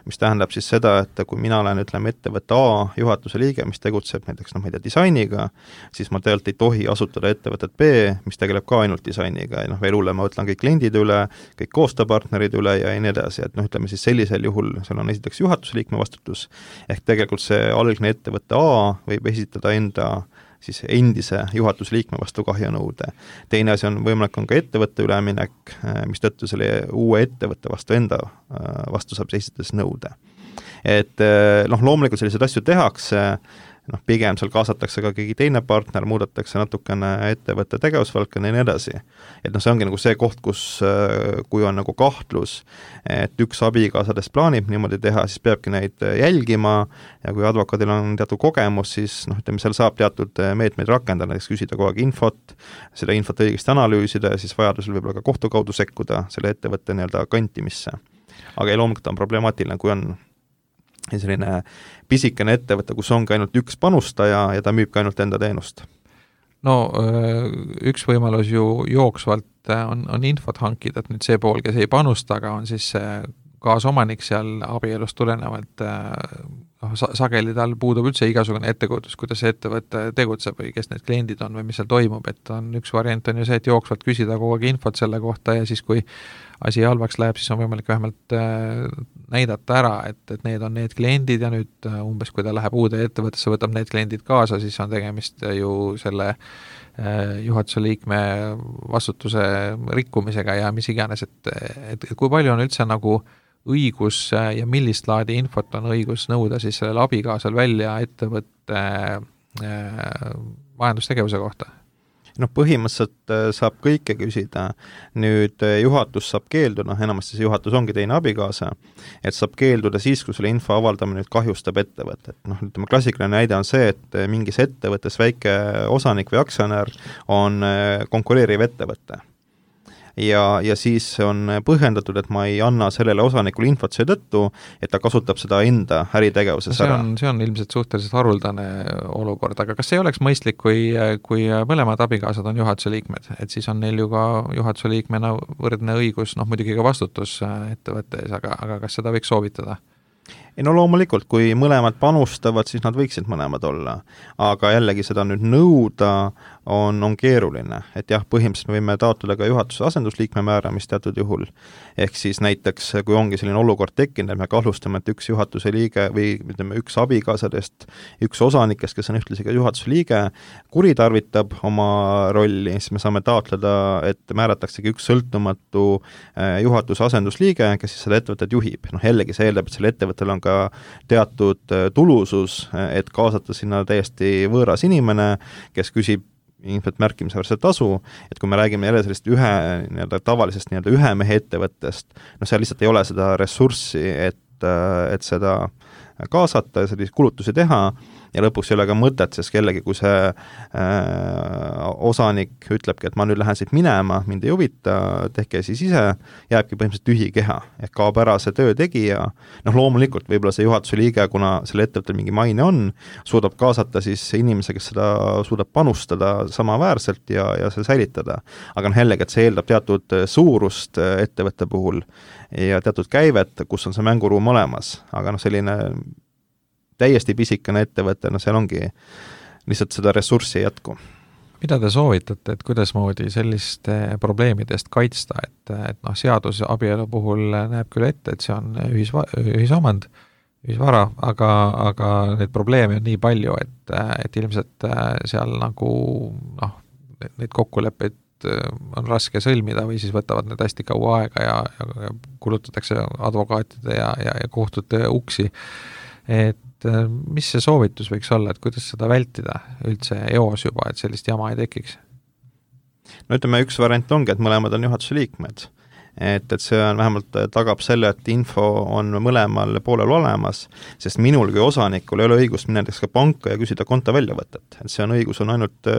mis tähendab siis seda, et kui mina olen, ütleme, ettevõtte A juhatuse liige, mis tegutseb näiteks, noh, ma ei tea, disainiga, siis ma tegelikult ei tohi asutada ettevõtet B, mis tegeleb ka ainult disainiga ja noh, veel hullem, ma võtlan kõik kliendid üle, kõik koostööpartnerid üle ja nii edasi, et noh, ütleme siis sellisel juhul, seal on esiteks juhatusliikme vastutus, ehk tegelikult see algne ettevõtte A võib esitada enda siis endise juhatusliikme vastu kahjunõude. Teine asi on võimalik on ka ettevõtte üleminek, mis tõttu selle uue ettevõtte vastu enda vastu saab esitades nõude. Et noh, loomulikult selliseid asju tehakse, noh, pigem seal kaasatakse ka keegi teine partner, muudetakse natukene ettevõtte tegevusvaldkonna ja nii edasi. Et noh, see ongi nagu see koht, kus kui on nagu kahtlus, et üks abikaasadest plaanib niimoodi teha, siis peabki neid jälgima ja kui advokaadil on teatud kogemus, siis noh, ütleme, seal saab teatud meetmeid rakendada, näiteks küsida kogu aeg infot, seda infot õigesti analüüsida ja siis vajadusel võib-olla ka kohtu kaudu sekkuda selle ettevõtte nii-öelda kantimisse. Aga ei, loomulikult on problemaatiline, kui on selline pisikene ettevõte, kus ongi ainult üks panustaja ja ta müüb ka ainult enda teenust. No üks võimalus ju jooksvalt on, on infot hankida, et nüüd see pool, kes ei panusta, aga on siis kaasomanik seal abielust tulenevalt, noh, sageli tal puudub üldse igasugune ettekujutus, kuidas see ettevõte tegutseb või kes need kliendid on või mis seal toimub, et on üks variant on ju see, et jooksvalt küsida kogu aeg infot selle kohta ja siis kui asi halvaks läheb, siis on võimalik vähemalt näidata ära, et, et need on need kliendid ja nüüd umbes, kui ta läheb uude ettevõttesse, võtab need kliendid kaasa, siis on tegemist ju selle juhatuse liikme vastutuse rikkumisega ja mis iganes, et, et, et kui palju on üldse nagu õigus ja millist laadi infot on õigus nõuda siis sellel abikaasal välja ettevõtte majandustegevuse kohta? noh, põhimõtteliselt saab kõike küsida, nüüd juhatus saab keelduda, noh, enamasti see juhatus ongi teine abikaasa, et saab keelduda siis, kui selle info avaldamine nüüd kahjustab ettevõtet. noh, ütleme, klassikaline näide on see, et mingis ettevõttes väike osanik või aktsionär on konkureeriv ettevõte. Ja, ja siis on põhjendatud, et ma ei anna sellele osanikule infot seetõttu, et ta kasutab seda enda äritegevuses see ära. On, see on ilmselt suhteliselt haruldane olukord, aga kas ei oleks mõistlik, kui, kui mõlemad abikaasad on juhatuse liikmed, et siis on neil ju ka juhatuse liikmena võrdne õigus, noh muidugi ka vastutus ettevõttes, aga, aga kas seda võiks soovitada? ei no loomulikult, kui mõlemad panustavad, siis nad võiksid mõlemad olla, aga jällegi seda nüüd nõuda on, on keeruline, et jah, põhimõtteliselt me võime taotleda ka juhatuse asendusliikme määramist teatud juhul, ehk siis näiteks kui ongi selline olukord tekkinud, et me kahtlustame, et üks juhatuse liige või ütleme, üks abikaasadest, üks osanikest, kes on ühtlasi ka juhatuse liige, kuritarvitab oma rolli, siis me saame taotleda, et määrataksegi üks sõltumatu juhatuse asendusliige, kes siis seda ettevõtet juhib. noh, jällegi see eeldab, et selle ettevõttel on ka teatud tulusus, et kaasata sinna täiesti võõras inimene, kes küsib ilmselt märkimisväärset tasu, et kui me räägime jälle sellist ühe, nii-öelda tavalisest nii-öelda ühe mehe ettevõttest, noh seal lihtsalt ei ole seda ressurssi, et, et seda kaasata ja selliseid kulutusi teha, ja lõpuks ei ole ka mõtet, sest kellegi, kui see äh, osanik ütlebki, et ma nüüd lähen siit minema, mind ei huvita, tehke siis ise, jääbki põhimõtteliselt tühi keha, ehk kaob ära see töö tegija, noh loomulikult võib-olla see juhatuse liige, kuna selle ettevõttel mingi maine on, suudab kaasata siis inimese, kes seda suudab panustada samaväärselt ja, ja see säilitada. aga noh jällegi, et see eeldab teatud suurust ettevõtte puhul ja teatud käivet, kus on see mänguruum olemas, aga noh, selline täiesti pisikene ettevõte, no seal ongi lihtsalt seda ressurssi ei jätku. Mida te soovitate, et kuidas moodi selliste probleemidest kaitsta, et, et noh, seadus abielu puhul näeb küll ette, et see on ühisva, ühisomand, ühisvara, aga, aga neid probleeme on nii palju, et, et ilmselt seal nagu noh, neid kokkuleppeid on raske sõlmida või siis võtavad need hästi kaua aega ja, ja kulutatakse advokaatide ja, ja, ja kohtute uksi. Et mis see soovitus võiks olla, et kuidas seda vältida üldse eos juba, et sellist jama ei tekiks? No ütleme, üks variant ongi, et mõlemad on juhatuse liikmed. Et, et see on vähemalt tagab selle, et info on mõlemal poolel olemas, sest minul kui osanikul ei ole õigust minna näiteks ka panka ja küsida konto väljavõtet. Et see on õigus on ainult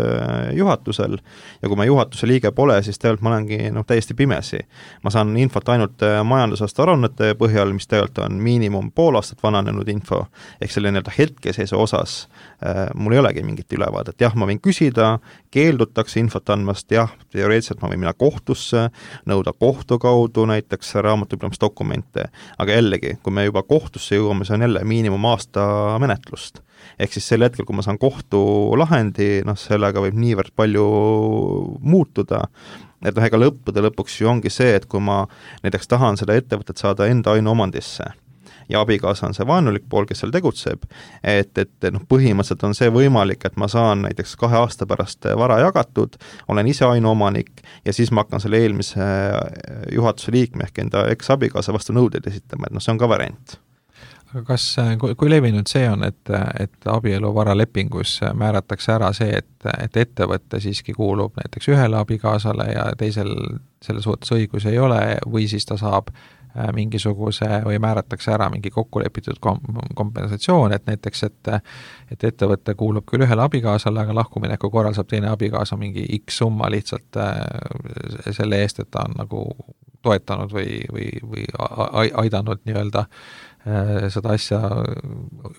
juhatusel ja kui ma juhatuse liige pole, siis tegelikult ma olengi no, täiesti pimesi. Ma saan infot ainult majandusaasta aruannete põhjal, mis tegelikult on miinimum pool aastat vananenud info, ehk selle nii-öelda hetkeseisu osas mul ei olegi mingit ülevaadet. Jah, ma võin küsida, keeldutakse infot andmast, jah, teoreetiliselt ma võin minna kohtusse, nõuda kohtu kaudu näiteks raamatupidamisdokumente, aga jällegi, kui me juba kohtusse jõuame, see on jälle miinimum aasta menetlust. Ehk siis sel hetkel, kui ma saan kohtu lahendi, noh, sellega võib niivõrd palju muutuda, et noh, ega lõppude lõpuks ju ongi see, et kui ma näiteks tahan seda ettevõtet saada enda ainuomandisse, ja abikaasa on see vaenulik pool, kes seal tegutseb, et, et noh, põhimõtteliselt on see võimalik, et ma saan näiteks kahe aasta pärast vara jagatud, olen ise ainuomanik ja siis ma hakkan selle eelmise juhatuse liikme ehk enda eks-abikaasa vastu nõudeid esitama, et noh, see on ka variant. Aga kas, kui levinud see on, et, et abielu varalepingus määratakse ära see, et, et ettevõtte siiski kuulub näiteks ühele abikaasale ja teisel selle suhtes õigus ei ole või siis ta saab mingisuguse või määratakse ära mingi kokkulepitud kom- kompensatsioon, et näiteks, et, et ettevõte kuulub küll ühele abikaasale, aga lahkumineku korral saab teine abikaasa mingi X summa lihtsalt selle eest, et ta on nagu toetanud või, või, või aidanud nii-öelda seda asja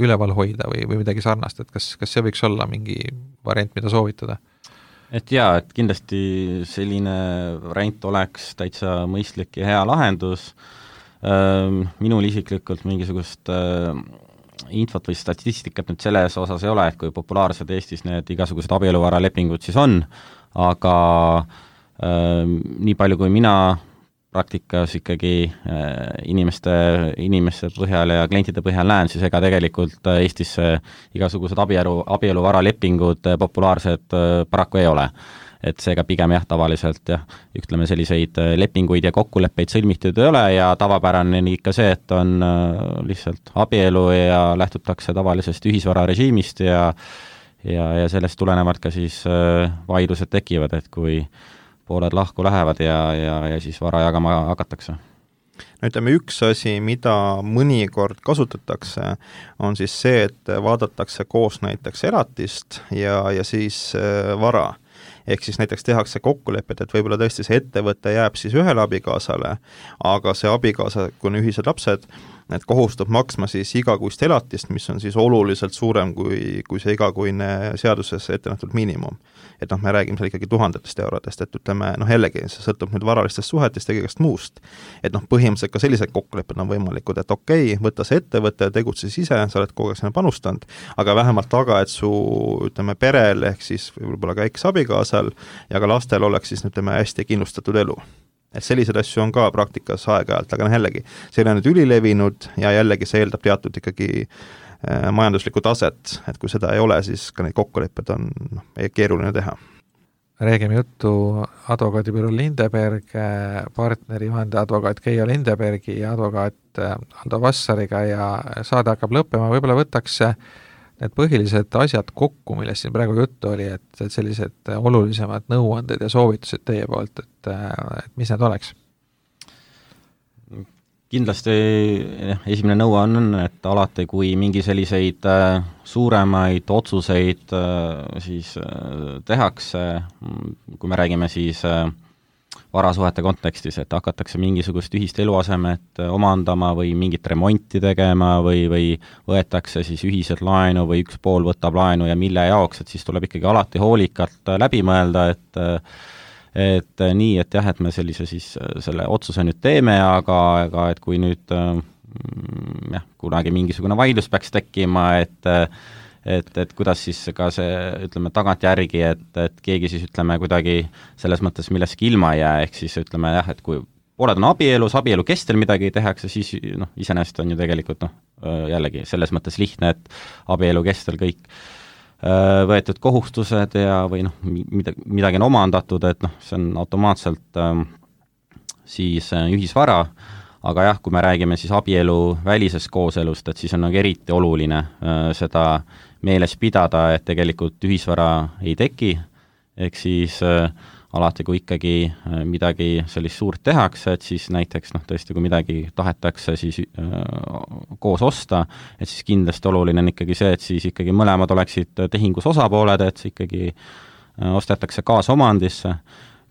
üleval hoida või, või midagi sarnast, et kas, kas see võiks olla mingi variant, mida soovitada? Et jaa, et kindlasti selline variant oleks täitsa mõistlik ja hea lahendus. Minul isiklikult mingisugust infot või statistikat nüüd selles osas ei ole, et kui populaarsed Eestis need igasugused abieluvaralepingud siis on, aga nii palju kui mina praktikas ikkagi inimeste, inimeste põhjal ja klientide põhjal näen, siis ega tegelikult Eestis igasugused abielu, abieluvaralepingud populaarsed paraku ei ole. Et seega pigem jah, tavaliselt jah, ütleme selliseid lepinguid ja kokkuleppeid sõlmitud ei ole ja tavapärane on ikka see, et on lihtsalt abielu ja lähtutakse tavalisest ühisvararežiimist ja, ja, ja sellest tulenevalt ka siis vaidlused tekivad, et kui pooled lahku lähevad ja, ja, ja siis vara jagama hakatakse. No ütleme, üks asi, mida mõnikord kasutatakse, on siis see, et vaadatakse koos näiteks elatist ja, ja siis vara. Ehk siis näiteks tehakse kokkulepet, et võib-olla tõesti see ettevõte jääb siis ühele abikaasale, aga see abikaasa, kui on ühised lapsed, et kohustab maksma siis igakuist elatist, mis on siis oluliselt suurem kui, kui see igakuine seaduses ette nähtud miinimum. Et noh, me räägime seal ikkagi tuhandetest eurodest, et ütleme, noh jällegi, see sõltub nüüd varalistest suhetest ja kõigest muust. Et noh, põhimõtteliselt ka sellised kokkulepped on võimalikud, et okei, okay, võtta see ettevõte, tegutse ise, sa oled kogu aeg sinna panustanud, aga vähemalt taga, et su, ütleme, perel ehk siis võib-olla ka eks-abikaasal ja ka lastel oleks siis, ütleme, hästi kindlustatud elu. Et sellised asju on ka praktikas aeg-ajalt, aga noh jällegi, see on nüüd ülilevinud ja jällegi see eeldab teatud ikkagi majanduslikku taset, et kui seda ei ole, siis ka neid kokkulepped on noh, keeruline teha. Räägime juttu advokaadibüroo Lindeberg, partneri vandeadvokaat Keijo Lindebergi ja advokaat Aldo Vassariga ja saade hakkab lõppema, võib-olla võtaks need põhilised asjad kokku, millest siin praegu juttu oli, et sellised olulisemad nõuanded ja soovitused teie poolt, et, et mis need oleks? kindlasti jah, esimene nõue on, et alati, kui mingi selliseid äh, suuremaid otsuseid äh, siis äh, tehakse, kui me räägime siis äh, varasuhete kontekstis, et hakatakse mingisugust ühist eluasemet omandama või mingit remonti tegema või, või võetakse siis ühiselt laenu või üks pool võtab laenu ja mille jaoks, et siis tuleb ikkagi alati hoolikalt läbi mõelda, et et nii, et jah, et me sellise siis selle otsuse nüüd teeme, aga, aga et kui nüüd jah, kunagi mingisugune vaidlus peaks tekkima, et et, et kuidas siis ka see, ütleme, tagantjärgi, et, et keegi siis, ütleme, kuidagi selles mõttes millestki ilma ei jää, ehk siis ütleme jah, et kui pooled on abielus, abielu kestel midagi tehakse, siis noh, iseenesest on ju tegelikult noh, jällegi selles mõttes lihtne, et abielu kestel kõik võetud kohustused ja või noh, midagi, midagi on omandatud, et noh, see on automaatselt äh, siis äh, ühisvara, aga jah, kui me räägime siis abielu välisest kooselust, et siis on nagu eriti oluline äh, seda meeles pidada, et tegelikult ühisvara ei teki, ehk siis äh, alati, kui ikkagi äh, midagi sellist suurt tehakse, et siis näiteks noh, tõesti, kui midagi tahetakse siis äh, koos osta, et siis kindlasti oluline on ikkagi see, et siis ikkagi mõlemad oleksid tehingus osapooled, et see ikkagi äh, ostetakse kaasomandisse.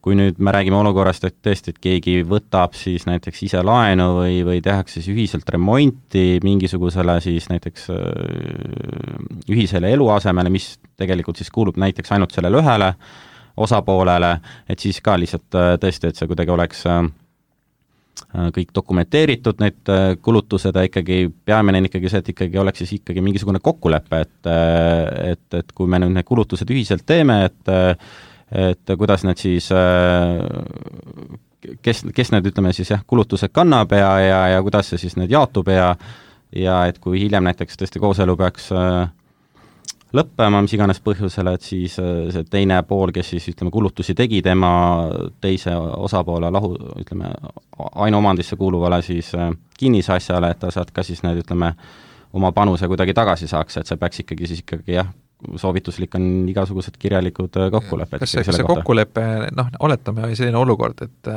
Kui nüüd me räägime olukorrast, et tõesti, et keegi võtab siis näiteks ise laenu või, või tehakse siis ühiselt remonti mingisugusele siis näiteks äh, ühisele eluasemele, mis tegelikult siis kuulub näiteks ainult sellele ühele osapoolele, et siis ka lihtsalt tõesti, et see kuidagi oleks kõik dokumenteeritud, need kulutused ja ikkagi peamine on ikkagi see, et ikkagi oleks siis ikkagi mingisugune kokkulepe, et, et, et kui me nüüd need kulutused ühiselt teeme, et, et kuidas need siis, kes, kes need, ütleme siis jah, kulutused kannab ja, ja, ja kuidas see siis need jaotub ja, ja et kui hiljem näiteks tõesti kooselu peaks lõppema, mis iganes põhjusele, et siis see teine pool, kes siis ütleme, kulutusi tegi tema teise osapoole lahu, ütleme, ainuomandisse kuuluvale siis kinnisasjale, et ta saad ka siis need, ütleme, oma panuse kuidagi tagasi saaks, et see peaks ikkagi siis ikkagi jah, soovituslik on igasugused kirjalikud kokkulepped. Kas see, see kokkulepe, noh, oletame selline olukord, et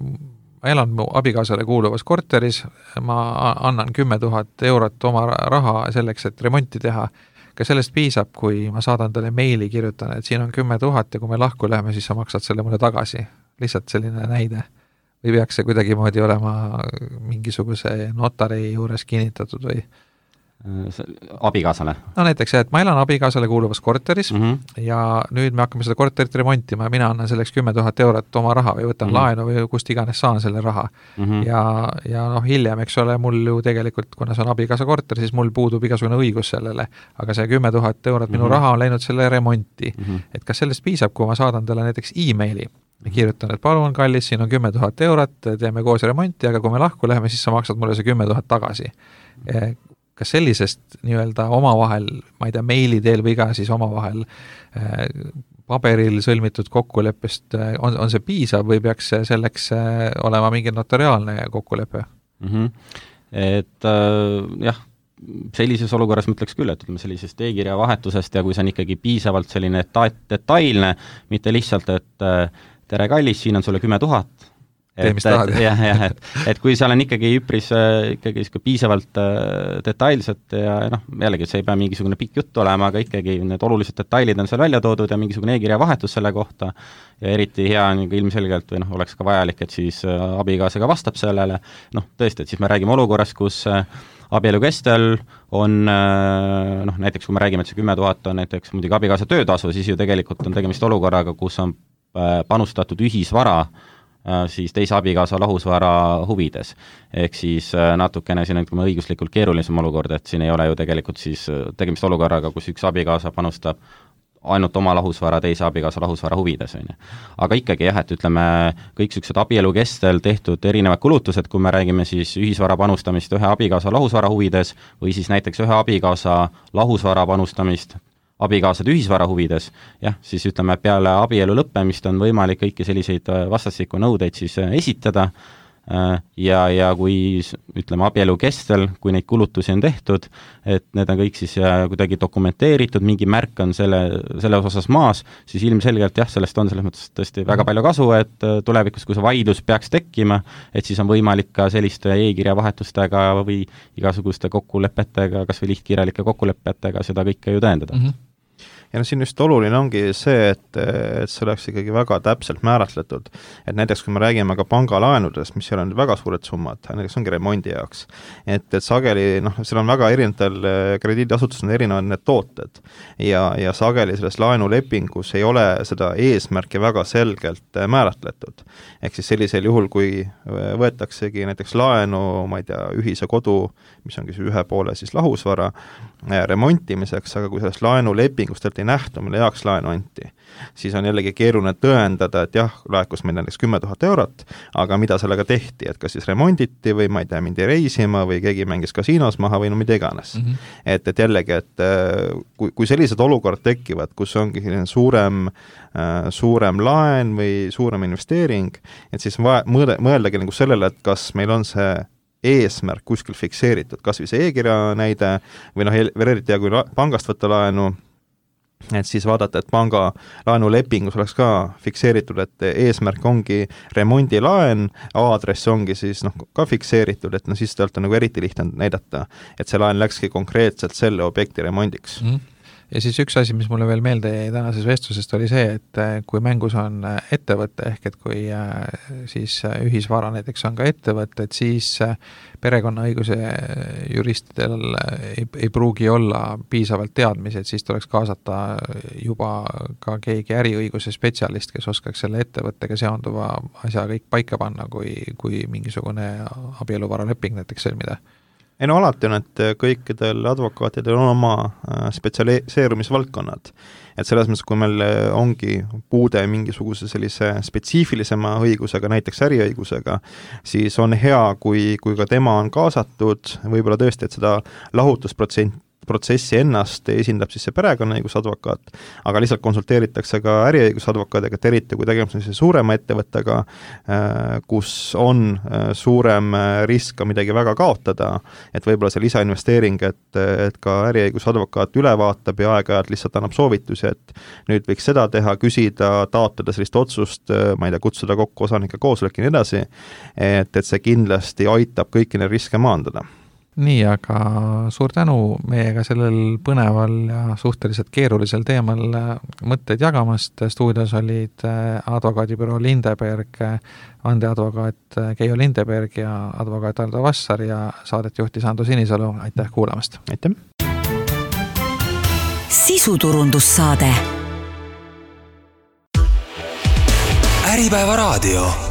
ma elan mu abikaasale kuuluvas korteris, ma annan kümme tuhat eurot oma raha selleks, et remonti teha. Ka sellest piisab, kui ma saadan talle meili, kirjutan, et siin on kümme tuhat ja kui me lahku läheme, siis sa maksad selle mulle tagasi. Lihtsalt selline näide. Või peaks see kuidagi moodi olema mingisuguse notari juures kinnitatud või? Abikaasale? No näiteks, et ma elan abikaasale kuuluvas korteris mm -hmm. ja nüüd me hakkame seda korterit remontima ja mina annan selleks kümme tuhat eurot oma raha või võtan mm -hmm. laenu või kust iganes saan selle raha. Mm -hmm. Ja, ja noh, hiljem, eks ole, mul ju tegelikult, kuna see on abikaasa korter, siis mul puudub igasugune õigus sellele, aga see kümme tuhat eurot, minu mm -hmm. raha on läinud selle remonti. Mm -hmm. Et kas sellest piisab, kui ma saadan talle näiteks e-maili ja kirjutan, et palun, kallis, siin on kümme tuhat eurot, teeme koos remonti, aga kui me lahku läheme, siis sa maksad mulle see kümme tuhat tagasi. Mm -hmm. Kas sellisest nii-öelda omavahel, ma ei tea, meili teel või iga siis omavahel äh, paberil sõlmitud kokkuleppest äh, on, on see piisav või peaks selleks äh, olema mingi notariaalne kokkulepe? Mm -hmm. Et äh, jah, sellises olukorras ma ütleks küll, et ütleme sellisest e-kirja vahetusest ja kui see on ikkagi piisavalt selline deta- detailne, mitte lihtsalt, et äh, tere kallis, siin on sulle kümme tuhat, tee, mis tahad. jah, jah, et, et kui seal on ikkagi üpris äh, ikkagi piisavalt äh, detailset ja noh, jällegi see ei pea mingisugune pikk jutt olema, aga ikkagi need olulised detailid on seal välja toodud ja mingisugune e-kirja vahetus selle kohta ja eriti hea on ilmselgelt või noh, oleks ka vajalik, et siis äh, abikaasaga vastab sellele, noh tõesti, et siis me räägime olukorrast, kus äh, abielu kestel on noh, näiteks kui me räägime, et see kümme tuhat on näiteks muidugi abikaasa töötasu, siis ju tegelikult on tegemist olukorraga, kus on panustatud ühisvara siis teise abikaasa lahusvara huvides. Ehk siis natukene siin on õiguslikult keerulisem olukord, et siin ei ole ju tegelikult siis tegemist olukorraga, kus üks abikaasa panustab ainult oma lahusvara teise abikaasa lahusvara huvides, on ju. Aga ikkagi jah, et ütleme, kõik sellised abielu kestel tehtud erinevad kulutused, kui me räägime siis ühisvara panustamist ühe abikaasa lahusvara huvides või siis näiteks ühe abikaasa lahusvara panustamist abikaasade ühisvara huvides, jah, siis ütleme, peale abielu lõppemist on võimalik kõiki selliseid vastastikku nõudeid siis esitada ja, ja kui ütleme abielu kestel, kui neid kulutusi on tehtud, et need on kõik siis kuidagi dokumenteeritud, mingi märk on selle, selle osas maas, siis ilmselgelt jah, sellest on selles mõttes tõesti väga palju kasu, et tulevikus, kui see vaidlus peaks tekkima, et siis on võimalik ka selliste e-kirja vahetustega või igasuguste kokkulepetega, kas või lihtkirjalike kokkulepetega seda kõike ju tõendada. Mm-hmm. Ja no siin just oluline ongi see, et, et see oleks ikkagi väga täpselt määratletud. Et näiteks, kui me räägime ka pangalaenudest, mis seal on väga suured summad, näiteks ongi remondi jaoks, et, et sageli, noh, seal on väga erinevatel krediidiasutustel erinevad need tooted ja, ja sageli selles laenulepingus ei ole seda eesmärki väga selgelt määratletud. Ehk siis sellisel juhul, kui võetaksegi näiteks laenu, ma ei tea, ühise kodu, mis ongi siis ühe poole siis lahusvara remontimiseks, aga kui sellest laenulepingust ei nähtu, mille jaoks laenu anti, siis on jällegi keeruline tõendada, et jah, laekus meil näiteks kümme tuhat eurot, aga mida sellega tehti, et kas siis remonditi või ma ei tea, mindi reisima või keegi mängis kasiinos maha või no mida iganes. Mm -hmm. et, et jällegi, et kui, kui sellised olukorrad tekivad, kus ongi suurem, suurem laen või suurem investeering, et siis vaja, mõõde, mõeldagi nagu sellele, et kas meil on see eesmärk kuskil fikseeritud, kas või see e-kirja näide või noh, eriti ja kui pangast võtta laenu, et siis vaadata, et panga laenulepingus oleks ka fikseeritud, et eesmärk ongi remondilaen, aadress ongi siis noh, ka fikseeritud, et no siis tõelt on nagu eriti lihtne näidata, et see laen läkski konkreetselt selle objekti remondiks. Mm. Ja siis üks asi, mis mulle veel meelde jäi tänases vestlusest, oli see, et kui mängus on ettevõte, ehk et kui siis ühisvara näiteks on ka ettevõte, et siis perekonnaõiguse juristidel ei, ei pruugi olla piisavalt teadmisi, et siis tuleks kaasata juba ka keegi äriõiguse spetsialist, kes oskaks selle ettevõttega seonduva asja kõik paika panna, kui, kui mingisugune abieluvaraleping näiteks sõlmida. Ei no alati on, et kõikidel advokaatidel on oma spetsialiseerumisvaldkonnad. Et selles mõttes, kui meil ongi puude mingisuguse sellise spetsiifilisema õigusega, näiteks äriõigusega, siis on hea, kui, kui ka tema on kaasatud, võib-olla tõesti, et seda lahutusprotsent protsessi ennast esindab siis see perekonnaõigusadvokaat, aga lihtsalt konsulteeritakse ka äriõigusadvokaadiga, eriti kui tegemist on suurema ettevõttega, kus on suurem risk ka midagi väga kaotada, et võib-olla see lisainvesteering, et, et ka äriõigusadvokaat üle vaatab ja aeg-ajalt lihtsalt annab soovitusi, et nüüd võiks seda teha, küsida, taotleda sellist otsust, ma ei tea, kutsuda kokku osanike koosolek ja nii edasi, et, et see kindlasti aitab kõiki neid riske maandada. Nii, aga suur tänu meiega sellel põneval ja suhteliselt keerulisel teemal mõtteid jagamast. Stuudios olid advokaadibüroo Lindeberg, vandeadvokaat Keijo Lindeberg ja advokaat Ardo Vassar ja saadet juhtis Ando Sinisalu. Aitäh kuulamast! Aitäh! Sisuturundussaade Äripäeva raadio